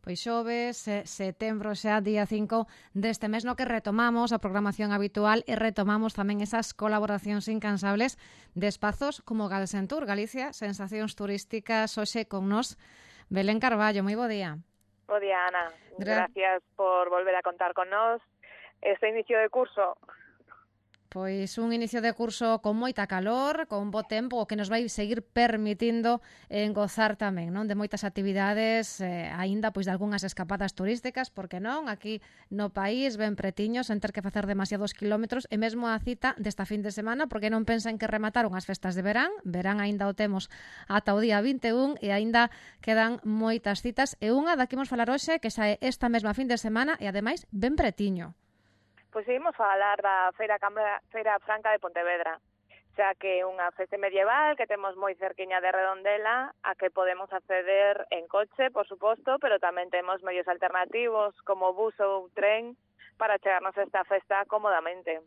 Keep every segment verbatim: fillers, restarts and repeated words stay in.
pois xoves, setembro xa, día cinco deste mes, no que retomamos a programación habitual e retomamos tamén esas colaboracións incansables de espazos como Galsentur, Galicia, sensacións turísticas, hoxe con nós, Belén Carballo. Moi bo día. Bo día, Ana. Gra Gracias por volver a contar con nós. Este inicio de curso... Pois un inicio de curso con moita calor, con bo tempo, o que nos vai seguir permitindo eh, gozar tamén, non, de moitas actividades, eh, aínda pois de algunhas escapadas turísticas, porque non, aquí no país ben pretiños, sen ter que facer demasiados kilómetros, e mesmo a cita desta fin de semana, porque non pensen que remataron as festas de verán, verán aínda o temos ata o día vinte e un, e aínda quedan moitas citas, e unha da que imos falar hoxe, que xa é esta mesma fin de semana, e ademais ben pretiño. Pois seguimos a falar da Feira, Cambra, Feira Franca de Pontevedra, xa que é unha festa medieval que temos moi cerquiña de Redondela, a que podemos acceder en coche, por suposto, pero tamén temos medios alternativos como bus ou tren para chegarnos a esta festa cómodamente.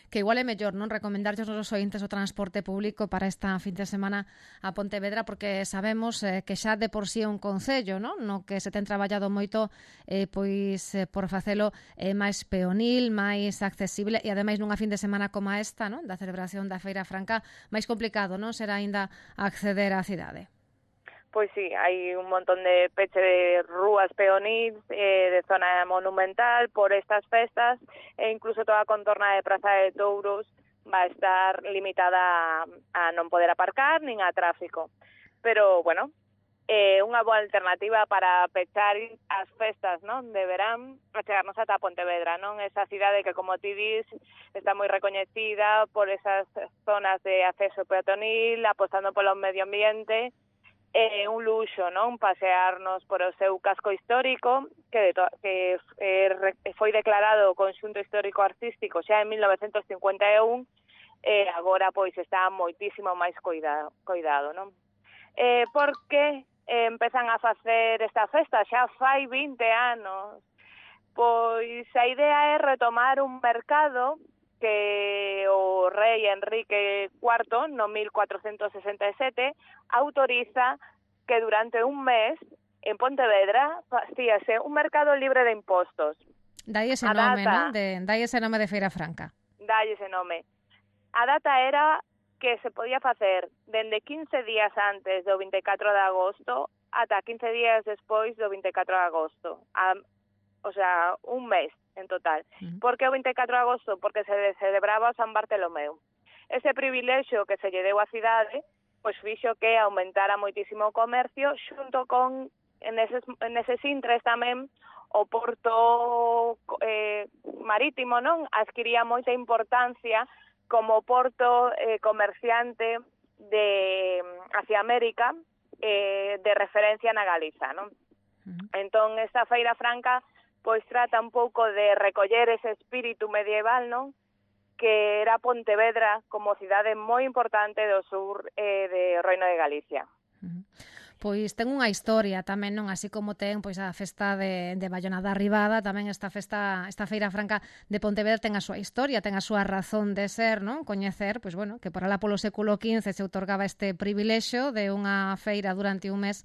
Que igual é mellor non recomendarlles aos ointes o transporte público para esta fin de semana a Pontevedra, porque sabemos eh, que xa de por sí é un concello, non? No que se ten traballado moito eh, pois eh, por facelo eh, máis peonil, máis accesible, e ademais nunha fin de semana como esta, non? Da celebración da Feira Franca, máis complicado, non? Será aínda acceder á cidade. Pois sí, hai un montón de peche de rúas peonís, eh, de zona monumental por estas festas, e incluso toda a contorna de Praza de Touros va a estar limitada a, a non poder aparcar nin a tráfico. Pero, bueno, é eh, unha boa alternativa para pechar as festas, non, de verán, a chegarnos ata Pontevedra, non? Esa cidade que, como ti dis, está moi recoñecida por esas zonas de acceso peatonil, apostando polo medio ambiente. É un luxo, non, pasearnos por o seu casco histórico, que, de to que eh, foi declarado conxunto histórico artístico xa en mil novecentos cincuenta e un, e agora pois está moitísimo máis cuidado, cuidado, non? Eh, porque eh, empezan a facer esta festa xa fai vinte anos. Pois a idea é retomar un mercado que o rei Enrique cuarto, no mil cuatrocentos sesenta e sete, autoriza que durante un mes en Pontevedra facíase un mercado libre de impostos. Dai ese nome, non? De, dai ese nome de Feira Franca. Dai ese nome. A data era que se podía facer dende quince días antes do vinte e catro de agosto ata quince días despois do vinte e catro de agosto. A, o sea, un mes en total. Uh-huh. Por que o vinte e catro de agosto? Porque se celebraba o San Bartolomeu. Ese privilexio que se lle deu á cidade, pois fixo que aumentara moitísimo o comercio, xunto con, en eses, en eses intres tamén, o porto eh, marítimo, non? Adquiría moita importancia como porto eh, comerciante de hacia América, eh, de referencia na Galiza, non? Uh-huh. Entón, esta Feira Franca pois trata un pouco de recoller ese espírito medieval, non? Que era Pontevedra como cidade moi importante do sur eh, de Reino de Galicia. Uh-huh. Pois ten unha historia tamén, non? Así como ten pois a festa de, de Bayona da Ribada, tamén esta festa, esta Feira Franca de Pontevedra ten a súa historia, ten a súa razón de ser, non? Coñecer, pois bueno, que por alá polo século quince se outorgaba este privilexio de unha feira durante un mes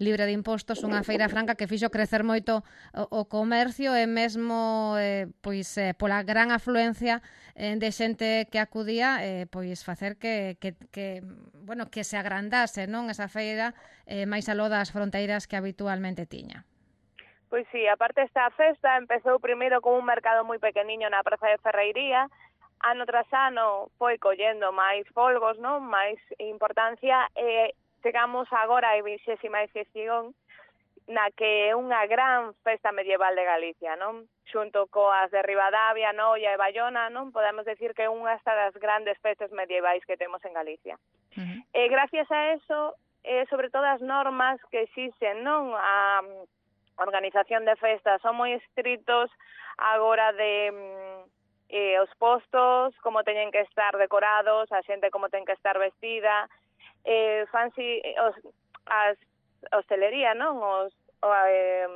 libre de impostos, unha Feira Franca que fixo crecer moito o, o comercio e mesmo eh, pois eh, pola gran afluencia eh, de xente que acudía, eh, pois facer que, que, que bueno, que se agrandase, non, esa feira eh, máis aló das fronteiras que habitualmente tiña. Pois sí, aparte esta festa empezou primeiro como un mercado moi pequeniño na Praza de Ferreiría, ano tras ano foi collendo máis folgos, non, máis importancia, e eh, chegamos agora a vixésima edición na que é unha gran festa medieval de Galicia, non? Xunto coas de Ribadavia, Noia e Bayona, non? Podemos decir que é unha das grandes festas medievais que temos en Galicia. Uh-huh. E gracias a eso, eh, sobre todo as normas que existen, non? A organización de festas son moi estritos agora de eh, os postos, como teñen que estar decorados, a xente como ten que estar vestida. Eh, fancy, os, as hostelería, non? Os, o, eh,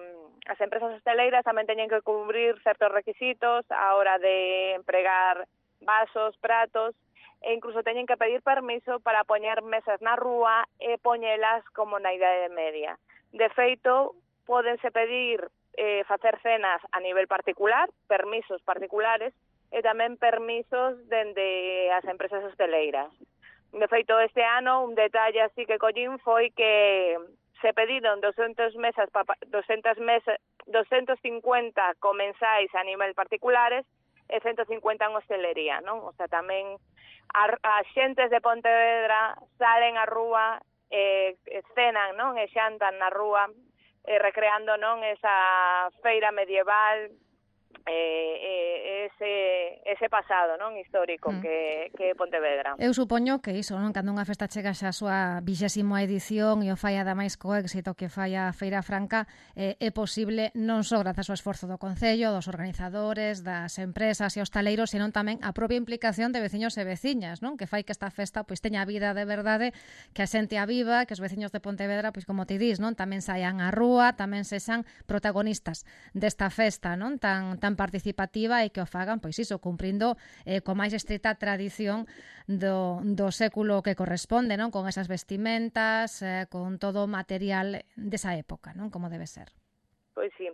as empresas hosteleiras tamén teñen que cubrir certos requisitos a hora de empregar vasos, pratos, e incluso teñen que pedir permiso para poñer mesas na rúa e poñelas como na Idade Media. De feito, pódense pedir eh, facer cenas a nivel particular, permisos particulares, e tamén permisos dende as empresas hosteleiras. De feito, este ano, un detalle así que collín foi que se pediron doscientas mesas, doscientas mesas, doscientos cincuenta comensais a nivel particulares e ciento cincuenta en hostelería, non? O sea, tamén as xentes de Pontevedra salen á rúa, eh, cenan, non? E xantan na rúa, eh, recreando, non? Esa feira medieval, eh, eh, ese, ese pasado, non? Histórico mm. que, que é Pontevedra. Eu supoño que iso, non? Cando unha festa chega xa a súa vixésima edición e o fai ademais co éxito que fai a Feira Franca, eh, é posible non só grazas ao esforzo do Concello, dos organizadores, das empresas e hostaleiros, senón tamén a propia implicación de veciños e veciñas, non? Que fai que esta festa pois teña vida de verdade, que a xente a viva, que os veciños de Pontevedra, pois como ti dis, non? Tamén saian á rúa, tamén sexan protagonistas desta festa, non? Tan tan participativa e que o fagan, pois iso, cumprindo eh, co máis estrita tradición do, do século que corresponde, non? Con esas vestimentas, eh, con todo o material desa época, non? Como debe ser. Pois sí.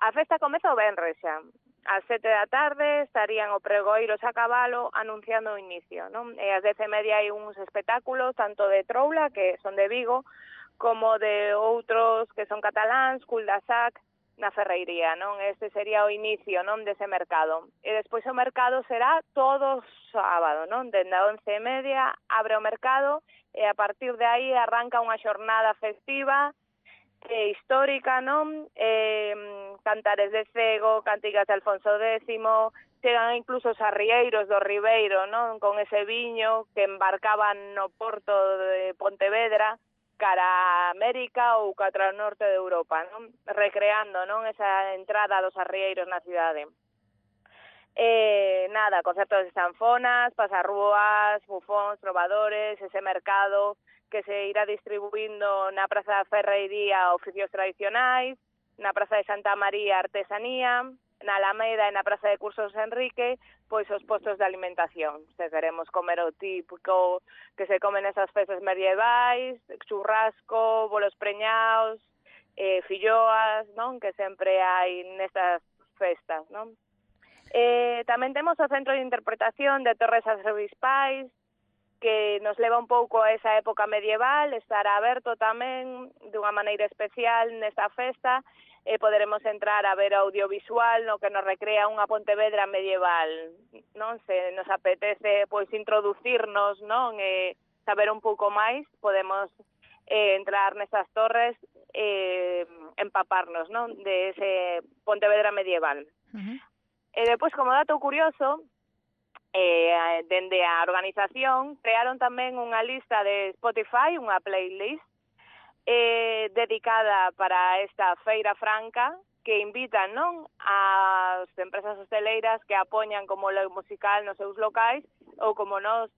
A festa comeza o venres xa. Ás sete da tarde estarían o pregoeiros a cabalo anunciando o inicio, non? E ás dez e media hai uns espectáculos, tanto de troula, que son de Vigo, como de outros que son cataláns, Cul da Sac, na Ferreiría, non? Este sería o inicio, non, dese mercado. E despois o mercado será todo sábado, non? Dende a once e media abre o mercado e a partir de aí arranca unha xornada festiva e histórica, non? Eh, cantares de cego, cantigas de Alfonso décimo, chegan incluso os arrieiros do Ribeiro, non? Con ese viño que embarcaban no porto de Pontevedra, cara a América ou cara ao norte de Europa, non? Recreando, non? Esa entrada dos arrieiros na cidade. Eh, nada, concertos de sanfonas, pasarrúas, bufóns, trovadores, ese mercado que se irá distribuindo na Praza da Ferreiría oficios tradicionais, na Praza de Santa María artesanía, na Alameda e na Praza de Cursos Enrique, pois os postos de alimentación. Se queremos comer o típico que se comen esas festas medievais, churrasco, bolos preñaos, eh, filloas, non? Que sempre hai nestas festas, non? Eh, tamén temos o Centro de Interpretación de Torres Arcebispais, que nos leva un pouco a esa época medieval, estará aberto tamén dunha maneira especial nesta festa, e poderemos entrar a ver audiovisual no que nos recrea unha Pontevedra medieval, non? Se nos apetece pois introducirnos, non? E saber un pouco máis, podemos eh, entrar nestas torres e eh, empaparnos, non? De ese Pontevedra medieval. Uh-huh. E depois, como dato curioso, eh, dende a organización crearon tamén unha lista de Spotify, unha playlist Eh, dedicada para esta Feira Franca, que invitan, non, as empresas hosteleiras que apoñan como lo musical nos seus locais, ou como nos,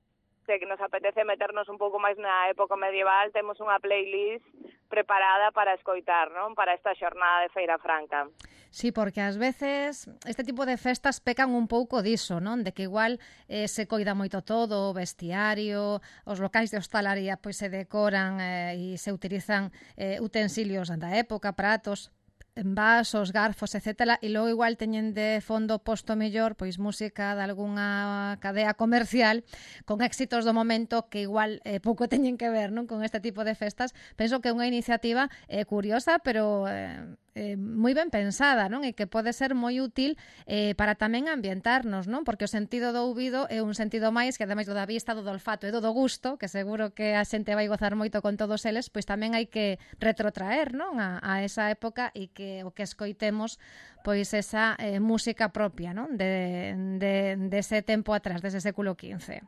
que nos apetece meternos un pouco máis na época medieval, temos unha playlist preparada para escoitar, non, para esta xornada de Feira Franca. Sí, porque ás veces este tipo de festas pecan un pouco diso, non? De que igual eh, se coida moito todo, o vestiario, os locais de hostalaría pois se decoran eh, e se utilizan eh, utensilios da época, pratos, vasos, garfos, etcétera, e logo igual teñen de fondo posto mellor pois música de algunha cadea comercial con éxitos do momento que igual eh, pouco teñen que ver, non, con este tipo de festas. Penso que é unha iniciativa eh, curiosa, pero eh, eh, moi ben pensada, non? E que pode ser moi útil eh, para tamén ambientarnos, non? Porque o sentido do ouvido é un sentido máis que ademais do da vista, do do olfato e do do gusto, que seguro que a xente vai gozar moito con todos eles, pois tamén hai que retrotraer, non? A, a esa época e que o que escoitemos pois esa eh, música propia, non? De, de, de ese tempo atrás, dese século quince.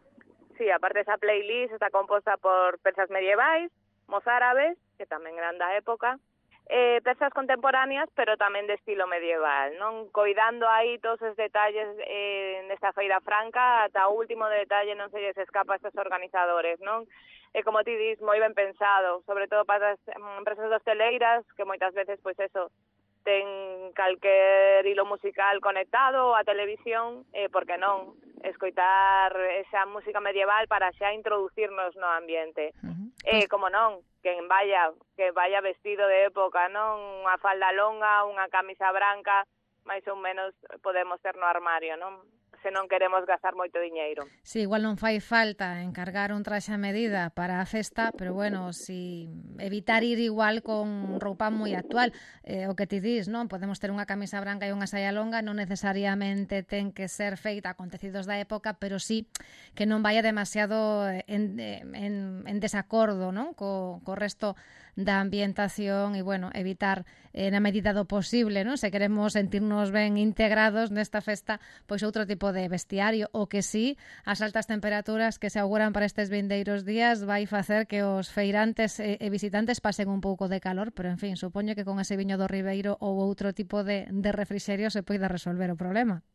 Sí, aparte esa playlist está composta por pezas medievais, mozárabes, que tamén eran da época, eh, pezas contemporáneas, pero tamén de estilo medieval, non? Coidando aí todos os detalles eh, nesta Feira Franca, ata o último detalle non se lles escapa a estes organizadores, non? E como ti dis, moi ben pensado, sobre todo para as empresas hosteleiras, que moitas veces, pois eso, ten calquer hilo musical conectado á televisión, eh, porque non escoitar esa música medieval para xa introducirnos no ambiente. Uh-huh. Eh, como non, que vaya, que vaya vestido de época, non? Unha falda longa, unha camisa branca, máis ou menos podemos ter no armario, non? Se non queremos gastar moito diñeiro. Sí, igual non fai falta encargar un traxe a medida para a festa, pero bueno, si evitar ir igual con roupa moi actual. Eh, o que ti dis, non? Podemos ter unha camisa branca e unha saia longa, non necesariamente ten que ser feita con tecidos da época, pero sí que non vaya demasiado en, en, en desacordo, non? Co, co resto da ambientación e, bueno, evitar eh, na medida do posible, non? Se queremos sentirnos ben integrados nesta festa, pois outro tipo de vestiario, o que sí, as altas temperaturas que se auguran para estes vindeiros días vai facer que os feirantes e, e visitantes pasen un pouco de calor, pero, en fin, supoño que con ese viño do Ribeiro ou outro tipo de, de refrixerio se poida resolver o problema.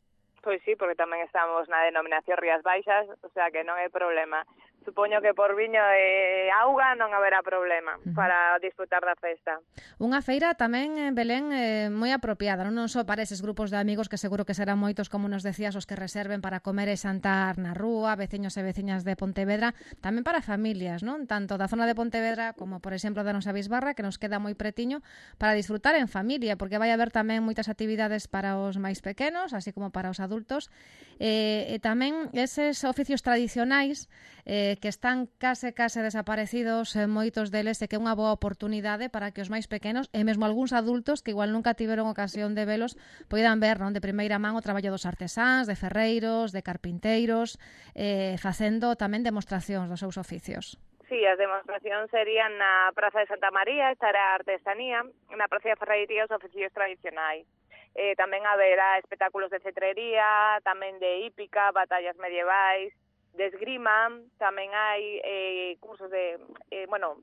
Pois sí, porque tamén estamos na denominación Rías Baixas, o sea que non hai problema. Supoño que por viño e auga non haberá problema uh-huh. para disfrutar da festa. Unha feira tamén, en Belén, eh, moi apropiada, non só para eses grupos de amigos que seguro que serán moitos, como nos decías, os que reserven para comer e xantar na rúa, veciños e veciñas de Pontevedra, tamén para familias, non? Tanto da zona de Pontevedra como, por exemplo, da nosa Bisbarra, que nos queda moi pretiño, para disfrutar en familia, porque vai haber tamén moitas actividades para os máis pequenos, así como para os adultos, e, e tamén eses oficios tradicionais eh, que están case case desaparecidos, eh, moitos deles, e que é unha boa oportunidade para que os máis pequenos e mesmo algúns adultos que igual nunca tiveron ocasión de velos poidan ver, non, de primeira man o traballo dos artesáns, de ferreiros, de carpinteiros, eh, facendo tamén demostracións dos seus oficios. Sí, as demostracións serían na Praza de Santa María, estará a artesanía, na Praza de Ferrería os oficios tradicionais. Eh, tamén haberá espectáculos de cetrería, tamén de hípica, batallas medievais, de esgrima, tamén hai eh, cursos de, eh, bueno,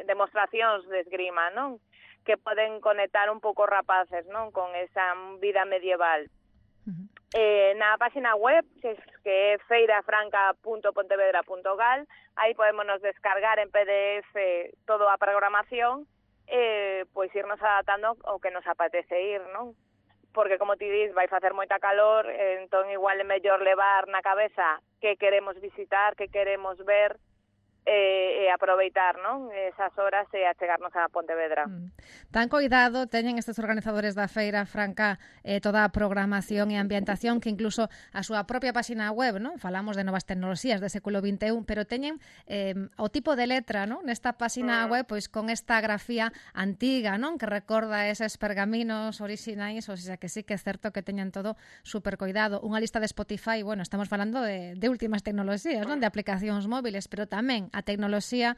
demostracións de esgrima, non? Que poden conectar un pouco rapaces, non? Con esa vida medieval. Uh-huh. Eh, na página web, que, es, que é feirafranca punto pontevedra punto gal, aí podemos descargar en P D F toda a programación, eh, pois irnos adaptando ao que nos apetece ir, non? Porque, como ti dis, vai facer moita calor, entón igual é mellor levar na cabeza que queremos visitar, que queremos ver, e, e aproveitar, non? Esas horas e achegarnos a Pontevedra. Mm. Tan cuidado teñen estes organizadores da Feira Franca eh, toda a programación e ambientación, que incluso a súa propia página web, non? Falamos de novas tecnoloxías do século vinte e un, pero teñen eh, o tipo de letra, non? Nesta página mm. web, pois con esta grafía antiga, non? Que recorda eses pergaminos orixinais, ou sea que sí que é certo que teñen todo super cuidado. Unha lista de Spotify, bueno, estamos falando de, de últimas tecnoloxías, non? De aplicacións móviles, pero tamén a tecnoloxía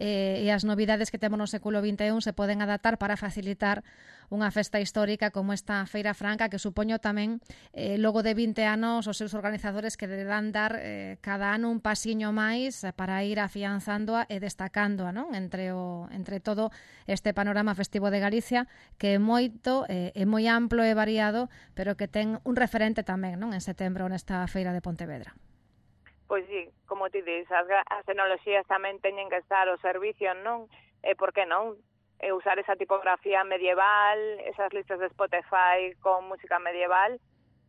eh, e as novidades que temos no século vinte e un se poden adaptar para facilitar unha festa histórica como esta Feira Franca, que supoño tamén eh, logo de vinte anos os seus organizadores que deberán dar eh, cada ano un pasiño máis para ir afianzándoa e destacándoa, non? Entre, o, entre todo este panorama festivo de Galicia, que é moito, eh, é moi amplo e variado, pero que ten un referente tamén, non? En setembro nesta Feira de Pontevedra. Pois sí, como ti dis, as, as tecnoloxías tamén teñen que estar ao servicio, non? E por que non? E usar esa tipografía medieval, esas listas de Spotify con música medieval.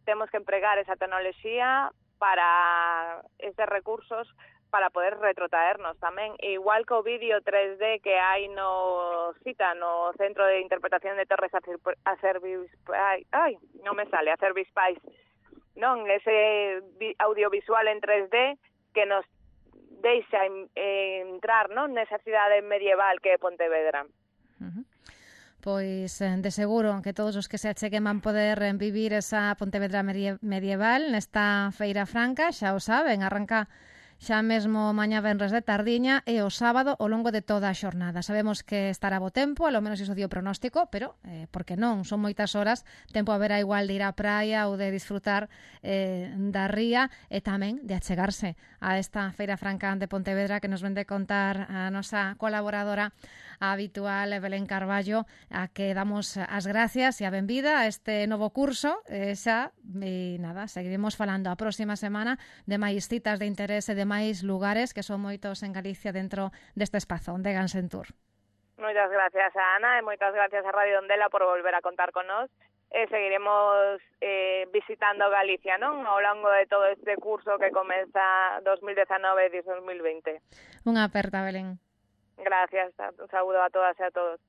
Temos que empregar esa tecnoloxía para estes recursos para poder retrotraernos tamén. E igual que o vídeo tres D que hai no CITA, no Centro de Interpretación de Torres Acervis... Ai, ai, non me sale, Acervis Pais, non, ese audiovisual en tres D que nos deixa entrar, non, nesa cidade medieval que é Pontevedra. Uh-huh. Pois de seguro que todos os que se acheguen van poder vivir esa Pontevedra medieval nesta Feira Franca, xa o saben, arranca xa mesmo mañá venres de tardiña e o sábado ao longo de toda a xornada. Sabemos que estará bo tempo, ao menos iso di o pronóstico, pero, eh, por que non? Son moitas horas, tempo haberá igual de ir á praia ou de disfrutar eh, da ría e tamén de achegarse a esta Feira Franca de Pontevedra que nos vende contar a nosa colaboradora habitual, Belén Carballo, a que damos as gracias e a benvida a este novo curso. E xa, e nada, seguiremos falando a próxima semana de máis citas de interese, de máis lugares, que son moitos en Galicia dentro deste espazo de Gansen Tour. Moitas gracias a Ana e moitas gracias a Radio Ondela por volver a contar con nós. E seguiremos eh, visitando Galicia, non? Ao longo de todo este curso que comeza dos mil dezanove e dos mil vinte. Unha aperta, Belén. Gracias, un saludo a todas y a todos.